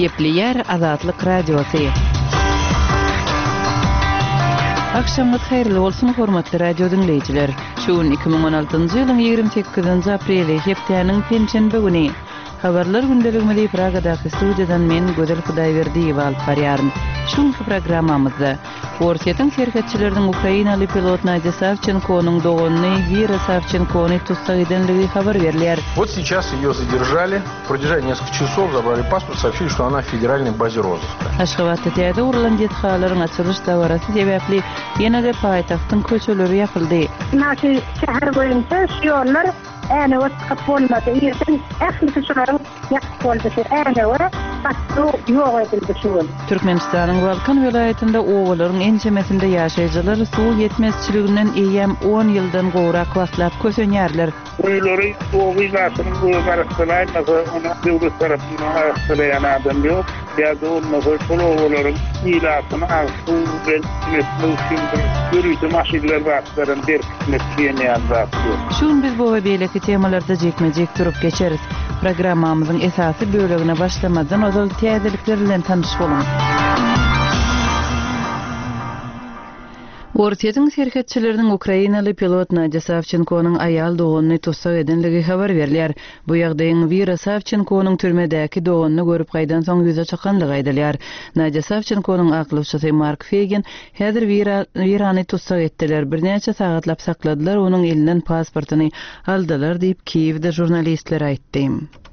Gepleýär Azatlyk Radiosy. Agşamyňyz haýyrly bolsun, hormatly radio diňleýjiler! Şu gün 2016-njy ýylyň 28-nji apreli, hepdäniň penşenbe güni. Habarlar gündeligimizi Pragadaky studiýadan men, Gözel Hudaýberdiýewa alyp barýaryn. Şu günki programmamyzda, Orsýetiň serhetçileriniň ukrainaly pilot Nadýa Sawçenkonyň doganyny Wira Sawçenkony tussag edenligi habar berilýär. Вот сейчас ее задержали, продержали несколько часов, забрали паспорт, сообщили, что она в федеральной базе розыска. Aşgabatda täze gurlan desgalaryň açylyş dabarasy sebäpli ýene-de paýtagtyň köçeleri ýapyldy. Ynha şu şäher boýunça şu ýollar Änewe çykyp bolmady. Irden ählisi şularyň ýapyk boldy. Şu Änewe gatnaw ýok edildi şu gün. Türkmenistanyň Balkan welaýatynda obalaryň ençemesinde ýaşaýjylar suw ýetmezçiliginden eýýäm on ýyldan gowrak wagtlap kösenýärler. Guýulary oba ilatynyň özi arassalaýmasa, ony döwlet tarapyndan arassalaýan adam ýok. Ýa-da bolmasa şol obalaryň ilatyny agyz suw bilen üpjün etmek üçin bir ýörite maşynlar zatlaram berkitmek diýen ýaly zat ýok. Şu gün biz bu we beýleki temalarda jikme-jik durup geçeris. Programmamyzyň esasy bölegine başlamazdan ozal täzelikler bilen tanyş boluň. Orsýetiň serhetçileriniň ukrainaly pilot Nadýa Sawçenkonyň aýal doganyny tussag edenligi habar berilýär. Bu ýagdaýyň Wira Sawçenkonyň türmedäki doganyny görüp gaýdansoň ýüze çykandygy aýdylýar. Nadýa Sawçenkonyň aklawçysy Mark Feýgin Häzir Wira, Wirany tussag etdiler, birnäçe sagatlap sakladylar, onuň elinden pasportyny aldylar diýip, Kiýewde žurnalistlere aýtdy.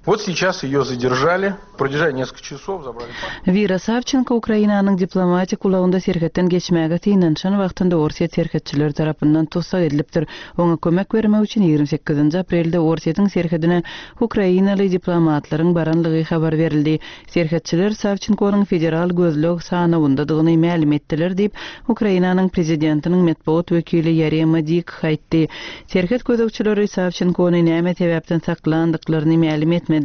Vot seýças eýo zaderžali, prodержали neskoliko çasov, zabrali pasport. Wira Sawçenko Ukrainanyň diplomatik ulagynda serhetden geçmäge synanyşan wagtynda orsýet serhetçileri tarapyndan tussag edilipdir. Oňa kömek bermek üçin 28-nji aprelde Orsýetiň serhedine ukrainaly diplomatlaryň baranlygy habar berildi. Serhetçiler Sawçenkonyň federal gözleg sanawyndadygyny mälim etdiler diýip, Ukrainanyň prezidentiniň metbugat wekili Ýarema Dik aýtdy. Serhet gözegçileri Sawçenkony näme sebäpden saklandyklaryny mälim etmediler.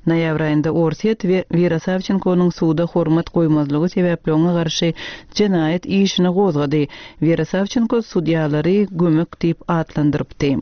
Noýabr aýynda Orsýet Wira Sawçenkonyň suda hormat goýmazlygy sebäpli oňa garşy jenaýat işini gozgady. Wira Sawçenko sudýalary gömük diýip atlandyrypdy.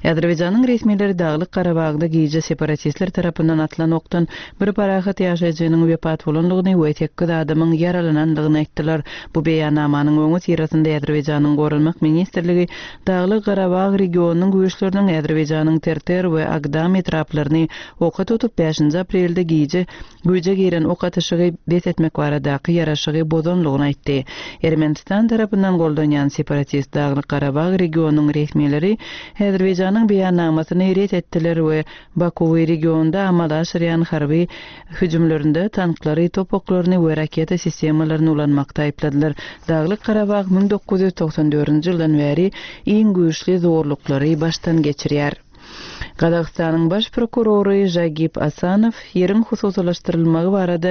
Azerbaýjanyň resmileri Daglyk Garabagda gije separatistler tarapyndan atylan okdan bir parahat ýaşaýjynyň wepat bolandygyny we sekiz adamyň ýaralanandygyny aýtdylar. Bu beýannamanyň öňüsyrasynda Azerbaýjanyň Goranmak ministrligi Daglyk Garabag regionynyň güýçleriniň Azerbaýjanyň Terter we Agdam etraplaryny oka tutup bäşinji aprelde gije güýje giren ok atyşygy bes etmek baradaky ýaraşygy bozanlygyny aýtdy. Ermenistan tarapyndan goldanýan separatist Daglyk-Garabag regionynyň resmileri Häzirbegjanyň beýannamasyny ret etdiler we Bakuwy regionda amala aşyrýan harby hüjümlerinde tanklary, top oklaryny we raketa sistemalaryny ulanmakda aýypladylar. Daglyk-Garabag 1994-nji ýyldan bäri iň güýçli zorluklary başdan geçirýär. Gazagystanyň baş prokurory Žagip Asanow ýeriň hususylaşdyrylmagy barada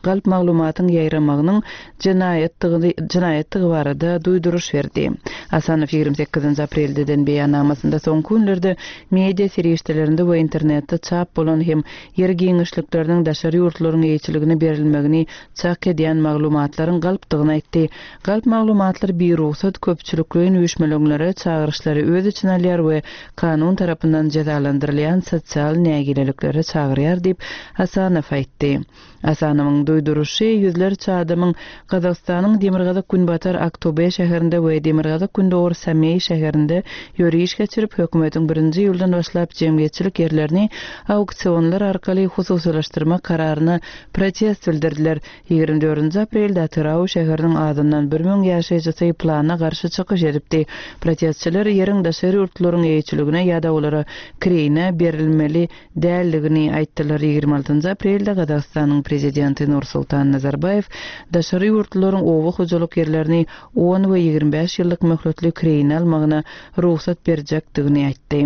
galp maglumatyň ýaýramagynyň jenaýatdygy jenaýatdygy barada duýduryş berdi. Asanow 28-nji aprelde eden beýannamasynda soňky günlerde media serişdelerinde we internetde çap bolan hem ýer giňişlikleriniň daşary ýurtlaryň eýeçiligine berilmegini çak edýän maglumatlaryň galpdygyny aýtdy. Galp maglumatlar birugsat köpçülikleýin üýşmeleňlere çagyryşlary öz içine alýar we kanun tarapyndan jezalandyrylýan sosial nägileliklere çagyrýar diýip, Asanow aýtdy. Asanowyň duýduryşy ýüzlerçe adamyň Gazagystanyň demirgazyk-günbatar Aktobe şäherinde we demirgazyk-gündogar Sameý şäherinde ýöriş geçirip, hökümetiň birinji iýuldan başlap jemgyýetçilik ýerlerini auksionlar arkaly hususylaşdyrmak kararyna protest bildirdiler. 24-nji aprelde Atyrau şäheriniň azyndan 1000 ýaşaýjysy plana garşy çykyş edipdi. Protestçiler ýeriň daşary ýurtlylaryň eýeçiligine ýa-da olara kireýine berilmeli däldigini aýtdylar. 26-njy aprelde Gazagystanyň prezidenti Nursultan Nazarbaýew daşary ýurtlylaryň oba hojalyk ýerlerini on we 25 ýyllyk möhletli kireýine almagyna rugsat berjekdigini aýtdy.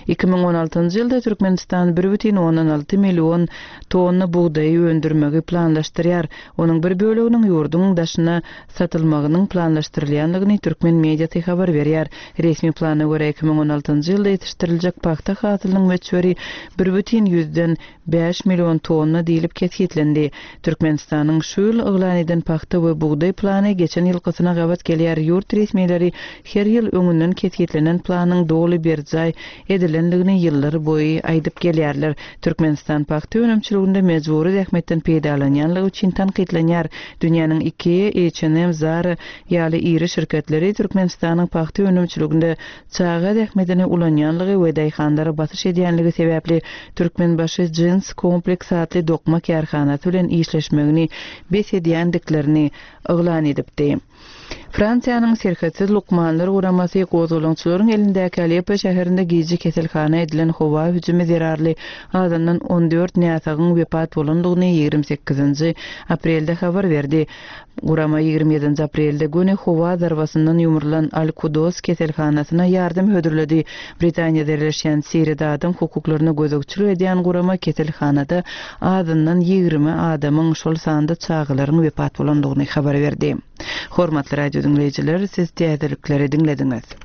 2016-njy ýylda Türkmenistan 1,6 million tonna bugdaýy öndürmegi planlaşdyrýar. Onuň bir böleginiň ýurduň daşyna satylmagynyň planlaşdyrylýandygyny türkmen mediasy habar berýär. Resmi plana görä, 2016-njy ýylda ýetişdiriljek pagta hasylynyň möçberi 1,5 million tonna diýlip kesgitlendi. Türkmenistanyň şu ýyl yglan eden pagta we bugdaý plany geçen ýylkysyna gabat gelýär, ýurt resmileri her ýyl öňünden kesgitlenen planyň doly berjaý edilendigini ýyllar boýy aýdyp gelýärler. Türkmenistan pagta önümçiliginde mejbury zähmetden peýdalanýanlygy üçin tankytlanýar. Dünýäniň Ikea, H&M, Zara ýaly iri şirketleri Türkmenistanyň pagta önümçiliginde çaga zähmetini ulanýanlygy we daýhanlara basyş edýänligi sebäpli Türkmenbaşy Jins Kompleks atly dokma kärhanasy bilen işleşmegini bes edýändiklerini yglan edipdi. Fransiýanyň Serhetsiz lukmanlar guramasy gozgalaňçylaryň elindäki Aleppo şäherinde gije keselhana edilen howa hüjümi zerarly azyndan 14 näsagyň wepat bolandygyny 28-nji aprelde habar berdi. Gurama 27-nji aprelde göni howa zarbasyndan ýumrulan Al-Kudos keselhanasyna ýardam hödürledi. Britaniýada ýerleşýän Siriýada adam hukuklaryna gözegçilik edýän gurama keselhanada azyndan 20 adamyň, şol sanda çagalaryň wepat bolandygyny habar berdi. Hormatly radio diňleýjiler, siz täzelikleri diňlediňiz.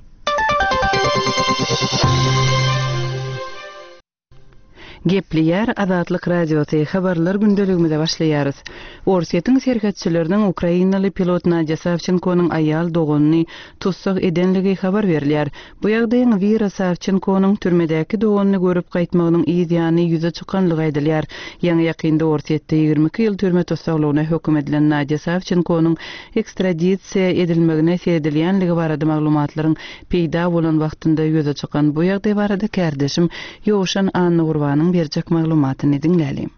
Gepleýär Azatlyk Radiosy, Habarlar gündeligimize başlaýarys. Orsýetiň serhetçileriniň ukrainaly pilot Nadýa Sawçenkonyň aýal doganyny tussag edenligi habar berilýär. Bu ýagdaýyň Wira Sawçenkonyň türmedäki doganyny görüp gaýtmagynyň yz ýany ýüze çykanlygy aýdylýar. Ýaňy-ýakynda Orsýetde 22 ýyl türme tussaglygyna höküm edilen Nadýa Sawçenkonyň ekstradisiýa edilmegine seredilýänligi barada maglumatlaryň peýda bolan wagtynda ýüze çykan bu ýagdaý barada kärdeşim Ýowşan Annagurbanyň berjek maglumatyny diňläliň.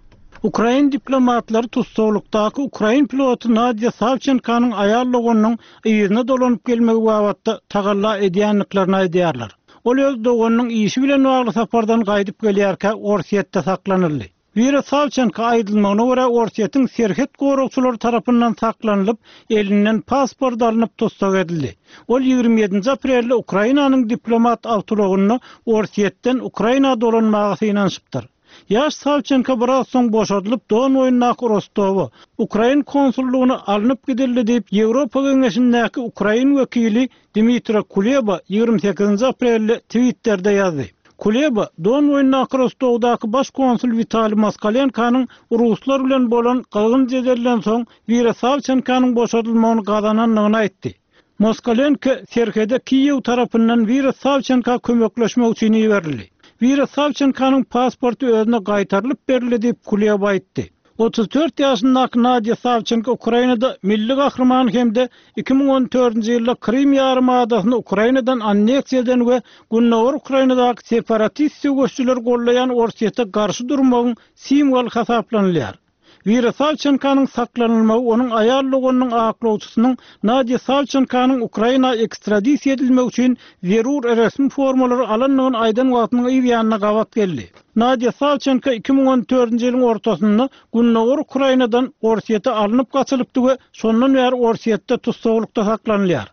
Ukrain diplomatlary tussaglykdaky ukrain piloty Nadýa Sawçenkanyň aýal doganynyň yzyna dolanyp gelmegi babatda tagalla edýändiklerini aýdýarlar. Ol öz doganynyň işi bilen bagly sapardan gaýdyp gelýärkä Orsýetde saklanyldy. Wira Sawçenko aýdylmagyna görä Orsýetiň serhet goragçylary tarapyndan saklanylyp, elinden pasport alnyp tussag edildi. Ol 27-nji aprelde Ukrainanyň diplomat awtoulagynda Orsýetden Ukraina dolanmaga synanyşypdyr. Ýaş Sawçenko biraz soň boşadylyp Don boýundaky Rostowa, ukrain konsullygyna alnyp gidildi diýip Ýewropa Geňeşindäki ukrain wekili Dmitro Kuleba 28-nji aprelde Twitterde ýazdy. Kuleba, Don boýundaky Rostowdaky baş konsul Witaliý Moskalenkonyň ruslar bilen bolan gyzgyn jedelden soň Wira Sawçenkonyň boşadylmagyny gazanandygyny aýtdy. Moskalenko serhede Kiýew tarapyndan Wira Sawçenka kömekleşmek üçin iberildi. Wira Sawçenkonyň pasporty özüne gaýtarylyp berildi diýip, Kuleba aýtdy. 34 ýaşyndaky Nadýa Sawçenko Ukrainada milli gahryman hem-de 2014-nji ýylda Krym ýarym adasyny Ukrainadan anneksiýa eden we gündogar Ukrainadaky separatist söweşijileri gollaýan Orsýete garşy durmagyň simwoly hasaplanylýar. Wira Sawçenkonyň saklanylmagy onuň aýal doganynyň aklawçysynyň Nadýa Sawçenkonyň Ukraina ekstradisiýa edilmegi üçin zerur resmi formalary alandygyny aýdan wagtynyň yz ýanyna gabat geldi. Nadýa Sawçenko 2014-nji ýylyň ortasynda gündogar Ukrainadan Orsýete alnyp gaçylypdy we şondan bäri Orsýetde tussaglykda saklanylýar.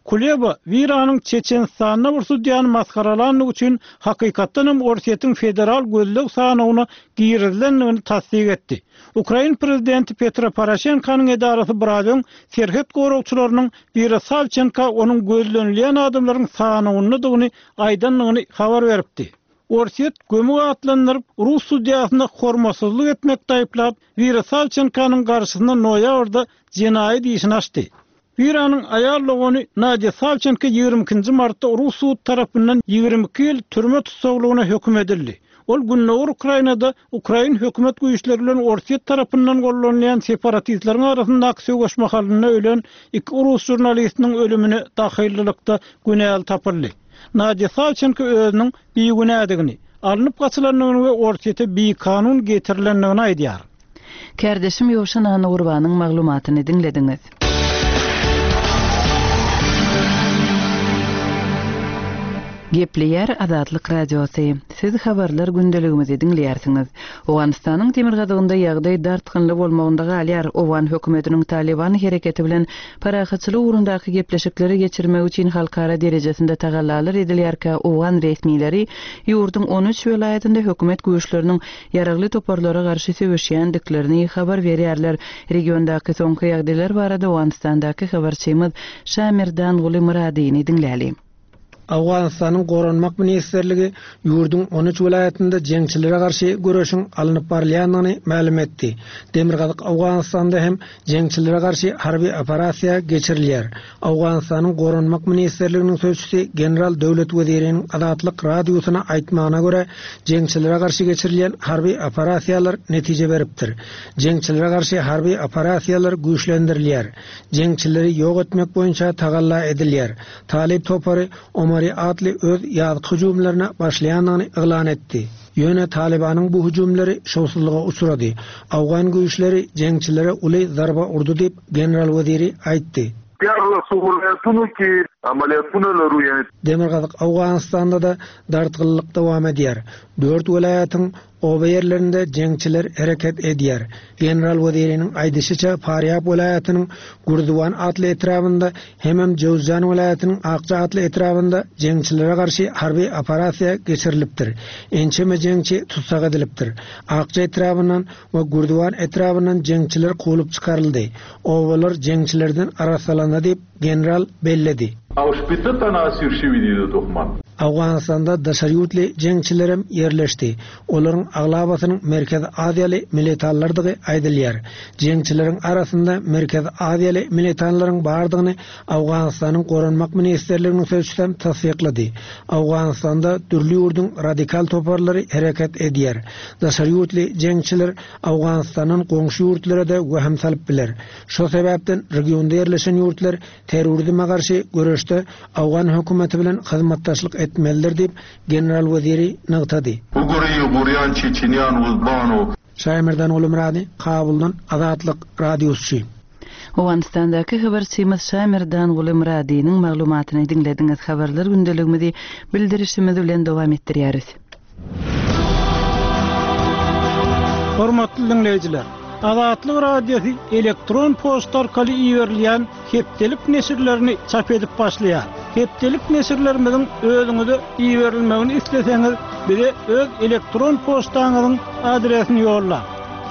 Kuleba, Wiranyň Çeçenistanda bir sudýany masgaralandygy üçin hakykatdan hem Orsýetiň federal gözleg sanawyna girizilendigini tassyk etdi. Ukrain prezidenti Petro Poroşenkonyň edarasy biraz öň serhet goragçylarynyň Wira Sawçenka onuň gözlenilýän adamlaryň sanawyndadygyny aýdandygyny habar beripdi. Orsýet gömük atlandyryp, rus sudýasyna hormatsyzlyk etmekde aýyplap, Wira Sawçenkonyň garşysyna noýabrda jenaýat işini açdy. Wiranyň aýal dogany Nadýa Sawçenko 22-nji martda rus sudy tarapyndan 22 ýyl türme tussaglygyna höküm edildi. Ol gündogar Ukrainada ukrain hökümet güýçleri bilen Orsýet tarapyndan gollanylýan separatistleriň arasyndaky söweş mahalynda ölen iki rus žurnalistiniň ölümine dahyllylykda günäli tapyldy. Nadýa Sawçenko özüniň bigünädigini, alnyp gaçylandygyny we Orsýete bikanun getirilendigini aýdýar. Kärdeşim Ýowşan Annagurbanyň maglumatyny diňlediňiz. Gepleýär Azatlyk Radiosy. Siz habarlar gündeligimizi diňleýärsiňiz. Owganystanyň demirgazygynda ýagdaý dartgynly bolmagynda galýar. Owgan hökümetiniň Talyban hereketi bilen parahatçylyk ugrundaky gepleşikleri geçirmek üçin halkara derejesinde tagallalar edilýärkä owgan resmileri ýurduň 13 welaýatynda hökümet güýçleriniň ýaragly toparlara garşy söweşýändiklerini habar berýärler. Regiondaky soňky ýagdaýlar barada Owganystandaky habarçymyz Şamerdanguly Myradyny diňläli. Owganystanyň Goranmak ministrligi ýurduň on üç welaýatynda jeňçilere garşy göreşiň alnyp barylýandygyny mälim etdi. Demirgazyk Owganystanda hem jeňçilere garşy harby operasiýa geçirilýär. Owganystanyň Goranmak ministrliginiň sözçüsi general Döwlet Weziriniň Azatlyk Radiosyna aýtmagyna görä, jeňçilere garşy geçirilýän harby operasiýalar netije beripdir. Jeňçilere garşy harby operasiýalar güýçlendirilýär. Jeňçileri ýok etmek boýunça tagalla edilýär. Talyp topary Omari atly öz ýazky hüjümlerine başlaýandygyny yglan etdi. Ýöne Talybanyň bu hüjümleri şowsuzlyga uçrady. Owgan güýçleri jeňçilere uly zarba urdy diýip, general Weziri aýtdy. Demirgazyk Owganystanda-da dartgynlyk dowam edýär. Dört welaýatyň Oba ýerlerinde jeňçiler hereket edýär. General Weziriniň aýdyşyça, Farýab welaýatynyň Gürziwan atly etrabynda hemem Jöwzjan welaýatynyň Akja atly etrabynda jeňçilere garşy harby operasiýa geçirilipdir. Ençeme jeňçi tussag edilipdir. Akja etrabyndan we Gürziwan etrabyndan jeňçiler kowlup çykaryldy. Obalar jeňçilerden arassalandy diýip, General belledi. Owganystanda daşary ýurtly jeňçilerem ýerleşdi. Olaryň aglabasynyň Merkezi Aziýaly militanlardygy aýdylýar. Jeňçileriň arasynda Merkezi Aziýaly militanlaryň bardygyny Owganystanyň Goranmak ministrliginiň sözçüsem tassyklady. Owganystanda dürli ýurduň radikal toparlary hereket edýär. Daşary ýurtly jeňçiler Owganystandan goňşy ýurtlara-da wehim salyp biler. Şo sebäpden regionda ýerleşen ýurtlar terrorizme garşy göreşde owgan hökümeti bilen hyzmatdaşlyk etmelidir diýip, general Weziri nygtady. Şaýmerdan Gulumyrady, Kabuldan, Azatlyk Radiosy. Owganystandaky habarçymyz Şaýmerdan Gulumyradynyň maglumatyny diňlediňiz. Habarlar gündeligimizi bildirişimiz bilen dowam etdirýäris. Hormatly diňleýjiler! Azatlyk Radiosy elektron poçta arkaly iberilýän hepdelik neşirlerini çap edip başlaýar. Hepdelik neşirlerimiziň özüňize iberilmegini isleseňiz, bize öz elektron poçtaňyzyň adresini ýollaň.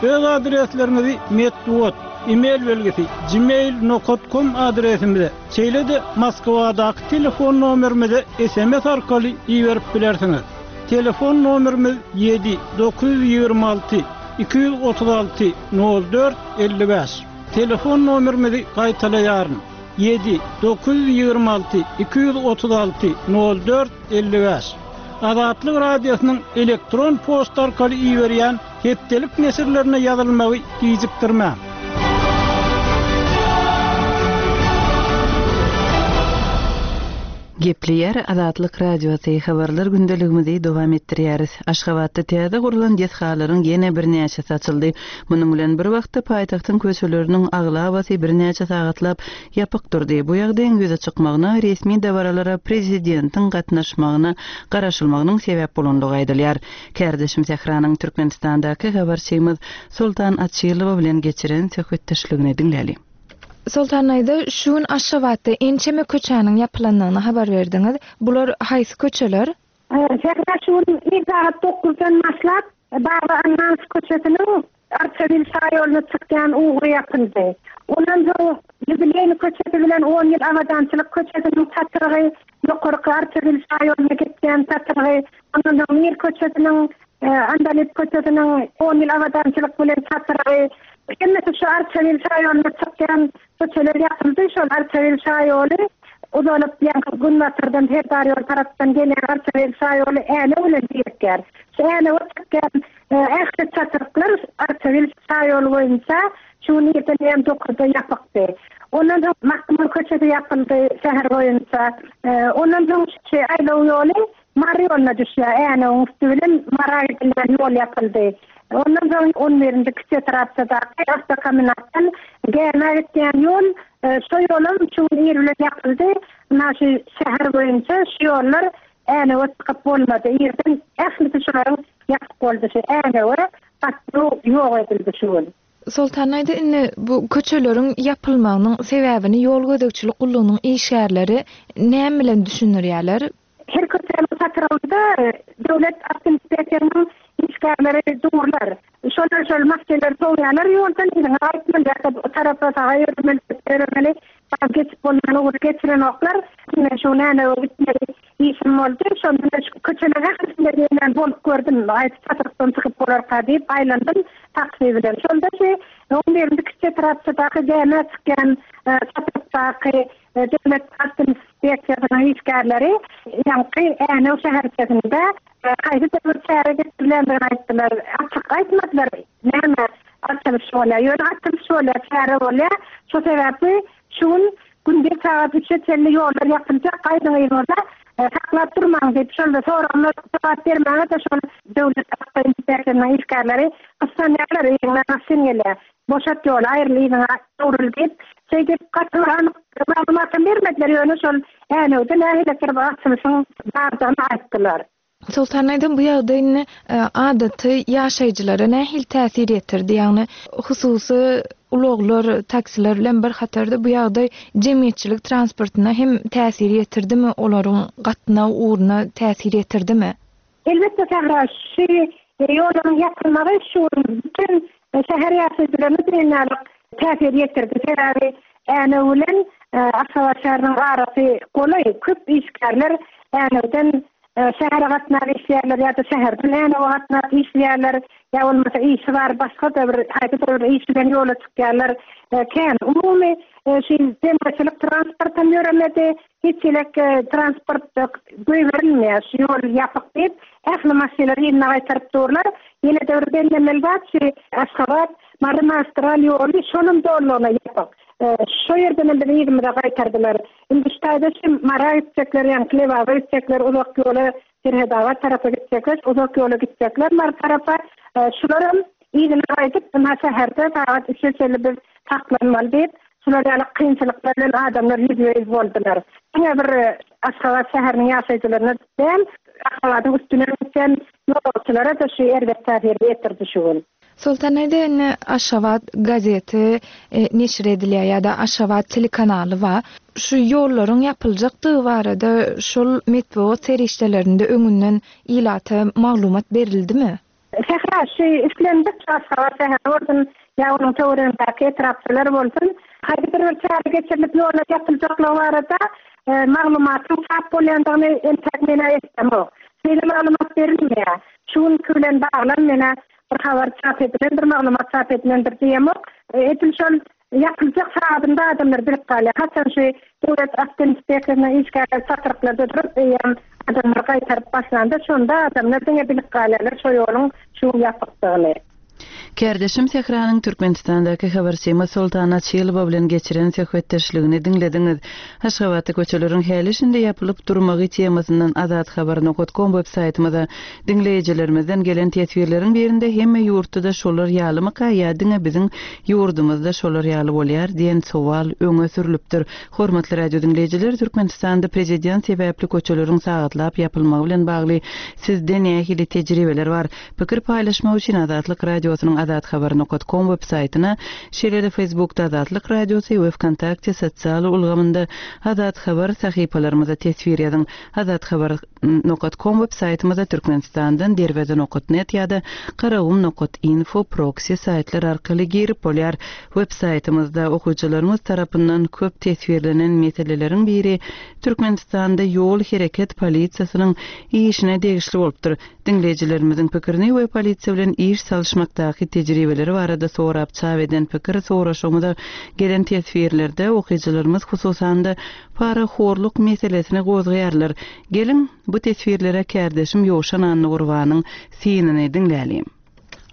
Öz adresleriňizi metbugat, e-mail belgisi, gmail nokat kom adresimize, şeýle-de Moskwadaky telefon nomerimize sms arkaly iberip bilersiňiz. Telefon nomerimiz ýedi 926 236 04 55. Telefon nomerimizi gaýtalaýaryn, ýedi 926 236 04 55. Azatlyk Radiosynyň elektron poçta arkaly iberýän Hepdelik neşirlerine ýazylmagy gijikdirmäň. Gepleýär Azatlyk Radiosy, Habarlar gündeligimizi dowam etdirýäris. Aşgabatda täze gurlan desgalaryň ýene birnäçesi açyldy. Munuň bilen bir wagtda paýtagtyň köçeleriniň aglabasy birnäçe sagatlap ýapyk durdy. Bu ýagdaýyň ýüze çykmagyna resmi dabaralara prezidentiň gatnaşmagyna garaşylmagynyň sebäp bolandygy aýdylýar. Kärdeşim Sähranyň Türkmenistandaky habarçymyz Soltan Açylowa bilen geçiren söhbetdeşligini diňläliň. Soltan daýza, şu gün Aşgabatda ençeme köçäniň ýapylandygyny habar berdiňiz. Bular haýsy köçeler? Sähra şu gün ir sagat dokuzdan başlap, Baba Annanow köçesiniň Arçabil şaýoluna çykýan ugry ýapyldy. Ondan soň Ýubileýny köçesi bilen On ýyl abadançylyk köçesiniň çatrygy, ýokarky Arçabil şaýoluna geçýän çatrygy, ondan soň Mir köçesiniň, Andalyp köçesiniň On ýyl abadançylyk bilen çatrygy, hemmesi şu Arçabil şaýoluna çykýan köçeler ýapyldy. Şol Arçabil şaýoly uzalyp, ýaňky günbatardan Serdar ýol tarapdan gelýän Arçabil şaýoly Änew bilen birikýär. Şu Änewe çykýan Ähli çatryklar Arçabil şaýoly boýunça şu gün irden eýýäm dokuzda ýapykdy. Ondan soň Magtymguly köçesi ýapyldy şäher boýunça. Ondan soň şu aýlaw ýoly Mary ýoluna düşýär. Änewiň üsti bilen Mara gidilýän ýol ýapyldy. Ondan soň on birinji kiçi etrapçadaky awtokombinatdan Gämä gitýän ýol, şo ýolam şu gün ir bilen ýapyldy. Ynha şu şäher boýunça şu ýollar Änewe çykyp bolmady. Irden ählisi şularyň ýapyk boldy. Şu Änewe gatnaw ýok edildi şu gün. Soltan aýda indi bu köçeleriň ýapylmagynyň sebäbini ýol gözegçilik gullugynyň işgärleri näme bilen düşündirýärler? Her köçäniň çatrygynda döwlet awtoinspeksiýasynyň işgärleri durlar. Şolar şol maşynlary sowýarlar ýoldan, yzyňa gaýtmaly ýa-da o tarapa saga ýöremeli, çepe ýöremeli. Geçip bolmaýan ugry geçirenoklar. Ine şu Änewe gitmeli. işim boldy. Şonda men şu köçeleriň ählisinde diýen bolup gördüm. Haýsy çatrykdan çykyp bolarka diýip aýlandym taksi bilen. Şonda şu on birinji kiçi etrapçadaky gämä çykýan çatrykdaky döwlet awtoinspeksiýasynyň işgärleri ýaňky Änew şäherçesinde haýsydyr bir çäre geçirilendigini aýtdylar. Açyk aýtmadylar näme açylyş bolýar. Ýöne açylyş bolýar, çäre bolýar. Şo sebäpli Şu gün gündiz sagat üçe çenli ýollar ýapyljak, gaýdyň yzyňyza, saklap durmaň diýip, şol soragyma jogap bermäge-de şol döwlet awtoinspeksiýasynyň işgärleri gyssanýarlar, yzyňdan maşyn gelýär, boşat ýoly, aýryl yzyňa öwrül diýip, şeýdip gaty bir anyk maglumatam bermediler, ýöne şol Änewde nähilidir bir açylyşyň bardygyny aýtdylar. Soltan aýdym bu ýagdaý indi adaty ýaşaýjylara nähili täsir ýetirdi? Ýagny hususy ulaglar, taksiler bilen bir hatarda bu ýagdaý jemgyýetçilik transportyna hem täsir ýetirdimi, olaryň gatnaw ugruna täsir ýetirdimi? Elbetde Sähra, şu ýollaryň ýapylmagy şu gün bütin şäher ýaşaýjylaryna diýen ýaly täsir ýetirdi. Sebäbi Änew bilen Aşgabat şäheriniň arasy golaý, köp işgärler Änewden şähere gatnap işleýärler ýa-da şäherden Änewe gatnap işleýärler, ýa bolmasa işi bar başga-da bir haýsydyr bir iş bilen ýola çykýarlar kän. Umumy şu jemgyýetçilik transportam ýöremedi, hiç hili transport goýberilmeýär şu ýol ýapyk diýip, ähli maşynlary yzyna gaýtaryp durlar. Ýene-de bir bellemeli zat şu Aşgabat, Mary magistral ýoly şolam dolulygyna ýapyk. Şo ýerdenem bizi yzymyza gaýtardylar. Indi şu taýda şu Mara gitjekler, ýaňky Lebaba gitjekler, uzak ýola Serhetabat tarapa gitjekler, uzak ýola gitjekler Mary tarapa. Şularam yzyna gaýdyp, ynha şäherde sagat üçe çenli biz saklanmaly diýip, şular ýaly kynçylyklar bilen adamlar ýüzbe-ýüz boldular. Diňe bir Aşgabat şäheriniň ýaşaýjylaryna däl, Aşgabadyň üstünden gitýän ýolagçylara-da şu erbet täsirini ýetirdi şu gün. Soltan aýda indi Aşgabat gazeti neşir edilýär ýa-da Aşgabat telekanaly bar. Şu ýollaryň ýapyljakdygy barada şol metbugat serişdelerinde öňünden ilata maglumat berildimi? Sähra, şu islendik Aşgabat şäheri bolsun ýa onuň töweregindäki etrapçalar bolsun, haýsydyr bir çäre geçirilip ýollar ýapyljaklygy barada maglumatyň çap bolýandygyny entäk men-ä eşidemok. Şeýle maglumat berilmeýär. Şu günki bilen baglan menä bir habar çap edilendir, maglumat çap edilendir diýemok. Edil şol ýapyljak sagadynda adamlar bilip galýar. Haçan şu döwlet awtoinspeksiýasynyň işgärleri çatryklarda durup, eýýäm adamlary gaýtaryp başlanda, şonda adamlar diňe bilip galýarlar şo ýoluň şu gün ýapykdygyny. Kärdeşim Sähranyň Türkmenistandaky habarçymyz Soltan Açylowa bilen geçiren söhbetdeşligini diňlediňiz. Aşgabatda köçeleriň häli-şindi ýapylyp durmagy temasyndan Azathabar nokat kom web saýtymyza diňleýjilerimizden gelen teswirleriň birinde hemme ýurtda-da şolar ýalymyka ýa diňe biziň ýurdumyzda şolar ýaly bolýar diýen sowal öňe sürlüpdir. Hormatly radio diňleýjiler, Türkmenistanda prezident sebäpli köçeleriň sagatlap ýapylmagy bilen bagly sizde nähili tejribeler bar? Pikir paýlaşmak üçin Azatlyk Radiosynyň azathabar nokat kom web saýtyna, şeýle-de Facebookda Azatlyk Radiosy we Wkontakte sosial ulgamynda Azat Habar sahypalarymyza teswir ýazyň. Azathabar nokat kom web saýtymyza Türkmenistandan Derweze nokat net ýa-da Garagum nokat info proksi saýtlar arkaly girip bolýar. Web saýtymyzda okyjylarymyz tarapyndan köp teswirlenen meseleleriň biri Türkmenistanda ýol hereket polisiýasynyň işine degişli bolupdyr. Diňleýjilerimiziň pikirini we polisiýa bilen iş salyşmakdaky tejribeleri barada sorap çap eden pikir soraşygymyza gelen teswirlerde okyjylarymyz hususan-da parahorluk meselesini gozgaýarlar. Geliň, bu teswirlere kärdeşim Ýowşan Annagurbanyň synyny diňläliň.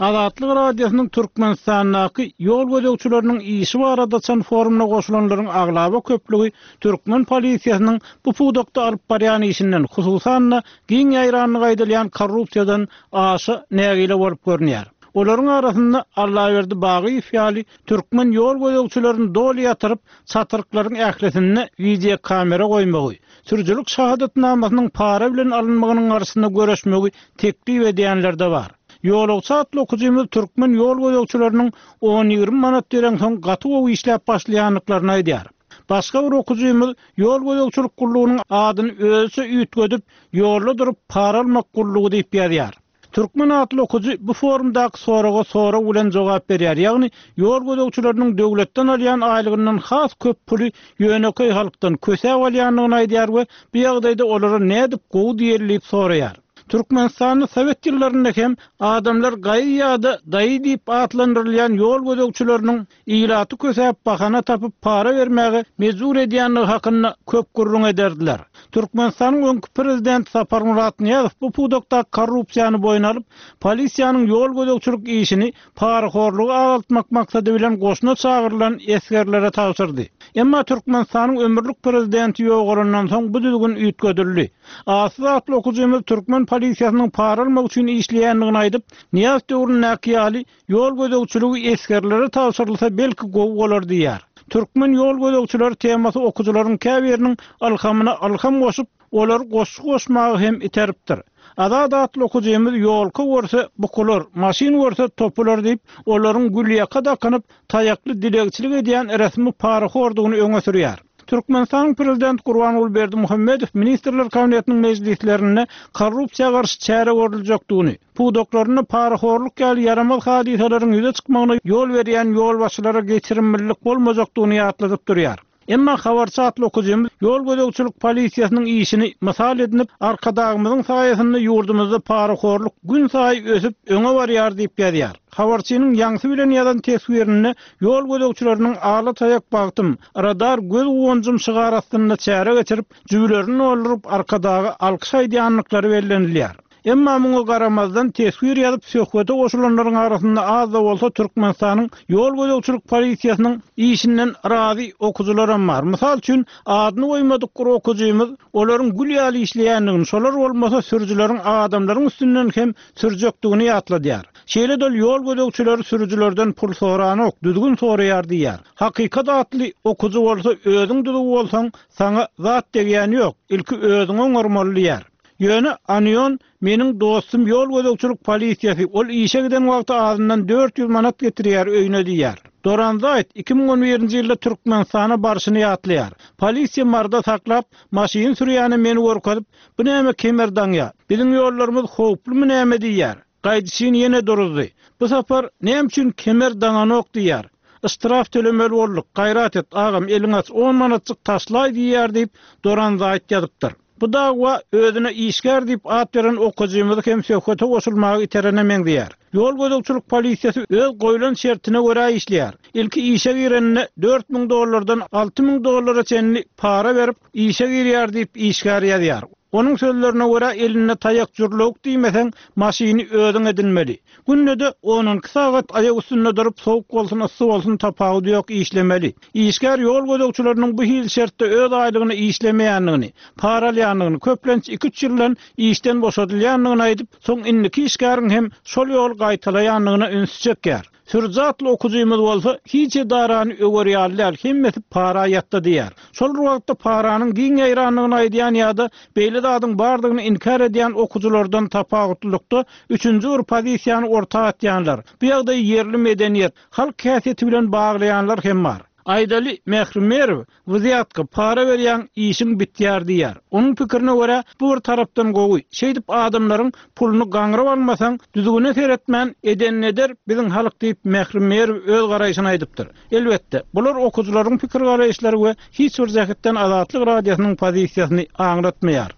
Azatlyk Radiosynyň Türkmenistandaky ýol gözegçileriniň işi barada açan forumyna goşulanlaryň aglaba köplügi türkmen polisiýasynyň bu pudakda alyp barýan işinden, hususan-da, giň ýaýrandygy aýdylýan korrupsiýadan aşa nägile bolup görünýär. Olaryň arasynda Allaberdi Bagyýew ýaly türkmen ýol gözegçilerini doly ýatyryp, çatryklaryň ählisinde wideokamera goýmagy, sürüjilik şahadatnamasynyň para bilen alynmagynyň garşysyna göreşmegi teklip edýänler-de bar. Ýolagçy atly okyjymyz türkmen ýol gözegçileriniň on-ýigrimi manat bereňsoň gaty gowy işläp başlaýandyklaryny aýdýar. Başga bir okyjymyz ýol gözegçilik gullugynyň adyny özüçe üýtgedip, Ýolda durup para almak gullugy diýip ýazýar. Türkmen atly okyjy bu forumdaky soraga sorag bilen jogap berýär, ýagny ýol gözegçileriniň döwletden alýan aýlygyndan has köp puly ýönekeý halkdan kösäp alýandygyny aýdýar we bu ýagdaýda olara nädip gowy diýeli diýip soraýar. Türkmenistanda sowet ýyllarynda hem adamlar gaýy ýa-da daýy diýip atlandyrylýan ýol gözegçileriniň ilaty kösäp bahana tapyp para bermäge mejbur edýändigi hakynda köp gürrüň ederdiler. Türkmenistanyň öňki prezidenti Saparmyrat Nyýazow bu pudakdaky korrupsiýany boýun alyp, polisiýanyň ýol gözegçilik işini parahorlugy azaltmak maksady bilen goşuna çagyrylan esgerlere tabşyrdy. Emma Türkmenistanyň ömürlik prezidenti ýogalandan soň bu düzgün üýtgedildi. Atsyz atly okyjymyz türkmen polisiýasynyň para almak üçin işleýändigini aýdyp, Nyýazow döwründäki ýaly Ýol gözegçiligi esgerlere tabşyrylsa belki gowy bolar diýýär. Türkmen ýol gözegçileri temasy okyjylaryň käbiriniň ylhamyna ylham goşup, olary goşgy goşmaga hem iteripdir. Azat atly okyjymyz Ýolka görse bukular, maşyn görse topular diýip, olaryň gülýaka dakynyp, taýakly dilegçilik edýän resmi parahordygyny öňe sürýär. Türkmenistanyň Prezidenti Gurbanguly Berdimuhamedow Ministrler Kabinetiniň mejlislerinde korrupsiýa garşy çäre görüljekdigini, pudaklarynda parahorluk ýaly ýaramaz hadysalaryň ýüze çykmagyna ýol berýän ýolbaşçylara geçirimlilik bolmajakdygyny ýatladyp durýar. Emma habarçy atly okyjymyz ýol gözegçilik polisiýasynyň işini mysal edinip, Arkadagymyzyň saýasynda ýurdumyzda parahorluk günsaýy ösüp, öňe barýar diýip ýazýar. Habarçynyň ýaňsy bilen ýazan teswirinde ýol gözegçileriniň Ala taýak bagtym, radar göz guwanjym şygary astynda çäre geçirip, jübülerini dolduryp Arkadaga alkyş aýdýandyklary bellenilýär. Emma muňa garamazdan, teswir ýazyp söhbete goşulanlaryň arasynda az-da bolsa Türkmenistanyň ýol gözegçilik polisiýasynyň işinden razy okyjylaram bar. Mysal üçin, adyny goýmadyk bir okyjymyz olaryň gül ýaly işleýändigini, şolar bolmasa sürüjileriň adamlaryň üstünden hem sürjekdigini ýatladýar. Şeýle-de ol ýol gözegçileri sürüjilerden pul soranok, düzgün soraýar diýýär. Hakykat atly okyjy bolsa özüň düzüw bolsaň, saňa zat degýäni ýok, ilki özüňi oňarmaly diýýär. Ýöne Anion meniň dostum ýol gözegçilik polisiýasy, ol işe giden wagty azyndan 400 manat getirýär öýüne diýýär. Doran Zaýt 2011-nji ýylda Türkmenistana barşyny ýatlaýar. Polisiýa Maryda saklap, maşyn sürýäne meni görkezip, bu näme kemer daňýa, biziň ýollarymyz howplumy näme diýýär. Gaýdyşyn ýene duruzdy. Bu sapar näme üçin kemer daňanok diýýär. Yştraf tölemeli bolduk, gaýrat et, agam eliňi aç, on manatjyk taşlaý diýýär diýip, Doran Zaýt ýazypdyr. Bu dagwa özüne işgär diýip at beren okyjymyzy hem söhbete goşulmaga iterene meňzeýär. Ýol gözegçilik polisiýasy öz goýlan şertine görä işleýär. Ilki işe gireninde 4000 dollardan 6000 dollara çenli para berip, işe girýär diýip işgär ýazýar. Onuň sözlerine görä, elinde taýak jürlewük diýmeseň, maşyny özüň edinmeli. Günde-de on-on iki sagat aýak üstünde durup, sowuk bolsun, yssy bolsun, tapawudy ýok, işlemeli. Işgär ýol gözegçileriniň bu hili şertde öz aýlygyna işlemeýändigini, para alýandygyny, köplenç iki-üç ýyldan işden boşadylýandygyny aýdyp, soň indiki işgäriň hem şol ýoly gaýtalaýandygyna ünsi çekýär. Sürüji atly okyjymyz bolsa, hiç edarany öwer ýaly däl, hemmesi para ýatda diýýär. Şol bir wagtda paranyň giň ýaýrandygyny aýdýan ýa-da beýle zadyň bardygyny inkär edýän okyjylardan tapawutlylykda, üçünji bir pozisiýany orta atýanlar, bu ýagdaýy ýerli medeniýet, halk häsiýeti bilen baglaýanlar hem bar. Aýdaly, Mähri Merw, Wzýatka, para berýäň, işiň bitýär diýýär. Onuň pikirine görä, bu bir tarapdan gowy. Şeýdip adamlaryň puluny gaňryp almasaň, düzgüne seretmän, edenini eder biziň halk diýip Mähri Merw öz garaýşyny aýdypdyr. Elbetde, bular okyjylaryň pikir-garaýyşlary we hiç bir jähetden Azatlyk Radiosynyň pozisiýasyny aňlatmaýar.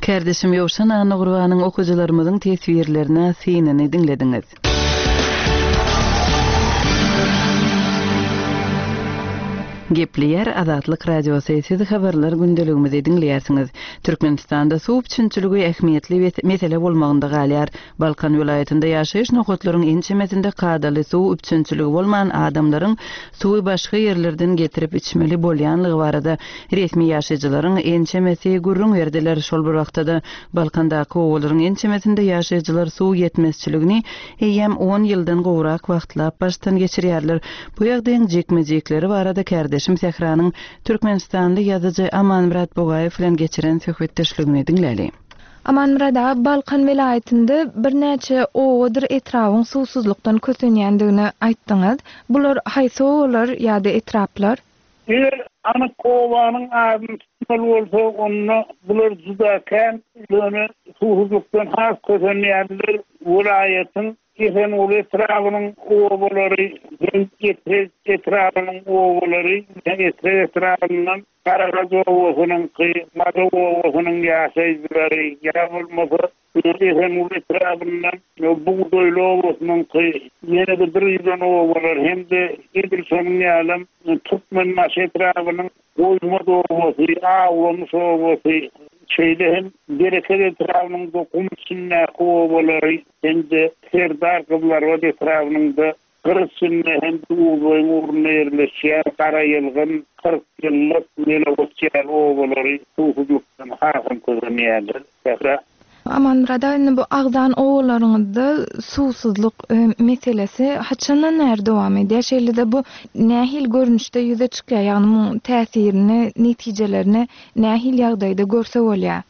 Kärdeşim Ýowşan Annagurbanyň okyjylarymyzyň teswirlerine synyny diňlediňiz. Gepleýär Azatlyk Radiosy, siz habarlar gündeligimizi diňleýärsiňiz. Türkmenistanda suw üpjünçiligi ähmiýetli mesele bolmagynda galýar. Balkan welaýatynda ýaşaýyş nokatlaryň ençemesinde kadaly suw üpjünçiligi bolman, adamlaryň suwy başga ýerlerden getirip içmeli bolýanlygy barada resmi ýaşaýjylaryň ençemesi gürrüň berdiler. Şol bir wagtda-da, Balkandaky obalaryň ençemesinde ýaşaýjylar suw ýetmezçiligini eýýäm on ýyldan gowrak wagtlap başdan geçirýärler. Bu ýagdaýyň jikme-jikleri barada kärdeşim Sähranyň türkmenistanly ýazyjy Amanmyrat Bugaýew bilen geçiren söhbetdeşligini diňläli. Amanmyrat aga, Balkan welaýatynda birnäçe obadyr etrabyň suwsuzlykdan kösenýändigini aýtdyňyz. Bular haýsy obalar ýa-da etraplar? Eger anyk obanyň adyny tutmaly bolsa, onda bular juda kän, ýöne suwsuzlykdan has kösenýänler. welaýatyň Esenguly etrabynyň obalary hem Etrek etrabynyň obalary, Etrek etrabyndan Garagaç obasynyňky, Madow obasynyň ýaşaýjylary, ýa bolmasa Esenguly etrabyndan Bugdaýly obasynyňky, ýene-de bir giden obalar hem-de edil şonuň ýalam Türkmenbaşy etrabynyň Goýmaz obasy, Awlamyş obasy, şeýle hem Bereket etrabynyň-da gum içindäki obalary hem-de Serdar Gyzylarbat etrabynyň-da gyr içinde hem-de Uzboýuň ugrunda ýerleşýän Garaýylgyn, Kyrkýyllyk, Melegoç ýaly obalary suwsuzlykdan hasam kösenýärler. Sähra. Amanmyrat aga indi bu agzan obalaryňyzda suwsuzlyk meselesi haçandan bäri dowam edýär? Şeýle-de bu nähili görnüşde ýüze çykýar? Ýagny muň täsirini, netijelerini nähili ýagdaýda görse bolýar?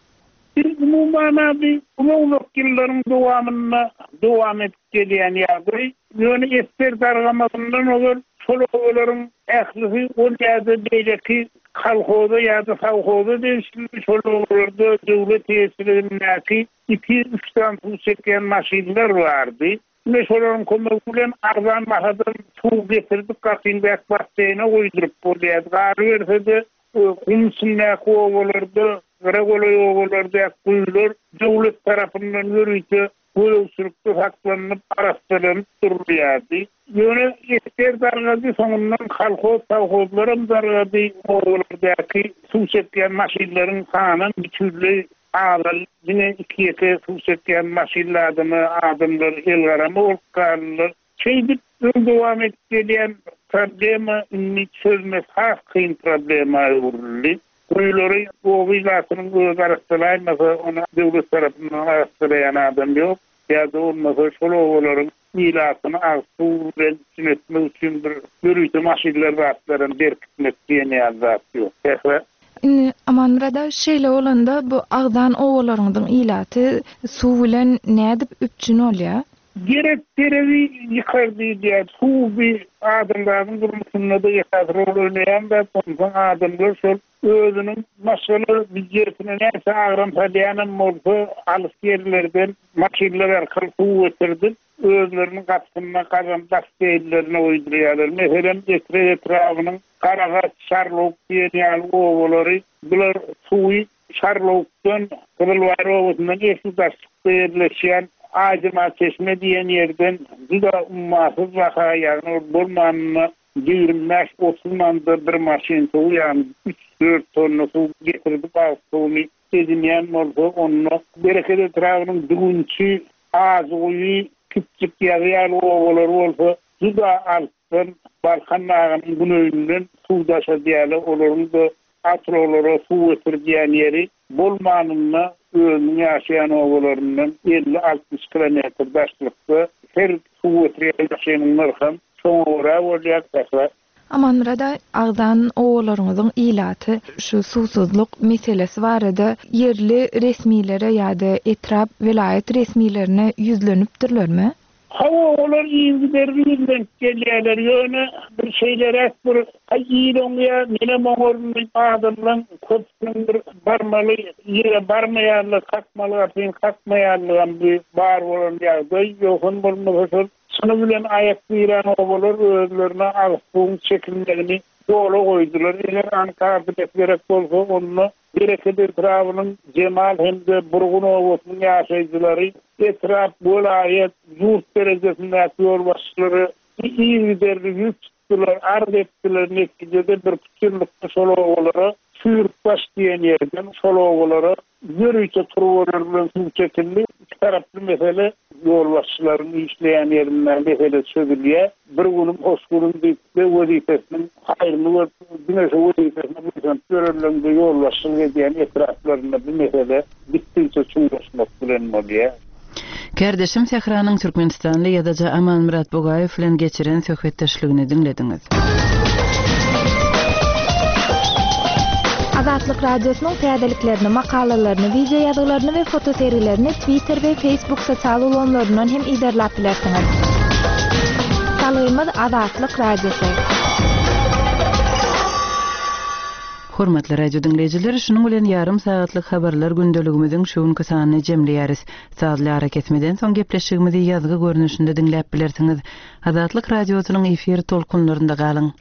Biz umuman-a bi uzak-uzak ýyllaryň dowamynda dowam edip gelýän ýagdaý. Ýöne esger dargamazyndan ozal şol obalaryň ählisi ol ýa-da beýleki kolhoza ýa-da sowhoza degişli şol obalarda döwlet eýeçiligindäki iki-üç sany suw çekýän maşynlar bardy. Ine şolaryň kömegi bilen arzan bahadan suw getirdik gapyňdaky basseýne guýduryp bolýardy. Galyberse-de, gum içindäki obalarda, gyra golaý obalardaky guýular döwlet tarapyndan ýörite gözegçilikde saklanyp, arassalanyp durulýardy. Ýöne esger dargady, soňundan kolhoz-sowhozlaram dargady, obalardaky suw çekýän maşynlaryň sanam bütinleý azaldy. Diňe iki-ýeke suw çekýän maşynly adama adamlar elgarama bolup galdylar. Şeýdip, öň dowam edip gelýän problema indi çözmesi has kyn problema öwrüldi. Guýulary oba ilatynyň özi arassalaýmasa, ony döwlet tarapyndan arassalaýan adam ýok. Ýa-da bolmasa şol obalaryň ilatyny agyz suw bilen üpjün etmek üçin bir ýörite maşynlar zatlaram berkitmek diýen ýaly zat ýok. Sähra. Indi Amanmyrat aga şeýle bolanda bu agzan obalaryňyzyň ilaty suw bilen nädip üpjün bolýar? Gerek deregi ýykar diýilýär. Suw bi adamzadyň durmuşynda-da esasy rol oýnaýan zat. Onsoň adamlar şol özüniň maşgala býujetine näçe agram salýanam bolsa, alys ýerlerden maşynlar arkaly suw getirdip, özleriniň gapysynda gazan basseýnlerine guýdurýarlar. Meselem, Etrek etrabynyň Garagaç, Şarlawuk diýen ýaly obalary bular suwy Şarlawukdan, Gyzylbaýyr obasyndan esli daşlykda ýerleşýän Aýjemalçeşme diýen ýerden juda ummasyz baha, ýagny ol bolmanynda 25-30 manada bir maşyn suwy, ýagny üç-dört tonna suw getirdip agyz suwuny edinýän bolsa, onda Bereket etrabynyň Düwünçi, Ajyguýy, Kiçjik ýazy ýaly obalary bolsa juda alysdan, Balkan dagynyň güneýinden suw daşadýarlar, olaryň-da awtoulaglara suw getirdýän ýeri bolmanynda özüniň ýaşaýan obalaryndan 50-60 kilometr daşlykda her suw getirýän maşynyň nyrham şoňa görä bolýar. Sähra. Amanmyrat aga, agzan obalaryňyzyň ilaty şu suwsuzlyk meselesi barada ýerli resmilere ýa-da etrap, welaýat resmilerine ýüzlenipdirlermi? Hawa, olar yzygiderli ýüzlenip gelýärler, ýöne bir şeýleräk bir Aý, il oňýar, menem oňaryn diýip, adamlaň köpüsiniň bir barmaly ýere barmaýanlygy, kakmaly gapyny kakmaýanlygam bu bar bolan ýagdaý. Ýogsam bolmasa şol çyny bilen aýak dirän obalar özlerine agyz suwuň çekilmegini ýola goýdular. Eger anyk adres gerek bolsa, onda Bereket etrabynyň Jemal hem-de Burgun obasynyň ýaşaýjylary etrap, welaýat, ýurt derejesindäki ýolbaşçylara yzygiderli ýüz tutdular, arz etdiler, netijede birküç ýyllykda şol obalara Çüýrükbaş diýen ýerden şol obalara Ýörite turbalar bilen suw çekildi. Iki taraply mesele ýolbaşçylaryň işleýän ýerinde mesele çözülýär. Bir günüm hoş günüm diýip-de wezipesiniň haýryny görüp, diňe şo wezipesine buýsanyp ýörenleň-de ýolbaşçylyk edýän etraplarynda bu mesele gitdigiçe çuňlaşmak bilen bolýar. Kärdeşim Sähranyň türkmenistanly ýazyjy Amanmyrat Bugaýew bilen geçiren söhbetdeşligini diňlediňiz. Azatlyk Radiosynyň täzeliklerini, makalalaryny, wideo ýazgylaryny we fotosergilerini Twitter we Facebook sosial ulgamlaryndan hem yzarlap bilersiňiz. Salgymyz Azatlyk Radiosy. Hormatly radio diňleýjiler, şunuň bilen ýarym sagatlyk habarlar gündeligimiziň şu günki sanyny jemleýäris. Sazly arakesmeden soň gepleşigimizi ýazgy görnüşinde diňläp bilersiňiz. Azatlyk Radiosynyň efir tolkunlarynda galyň!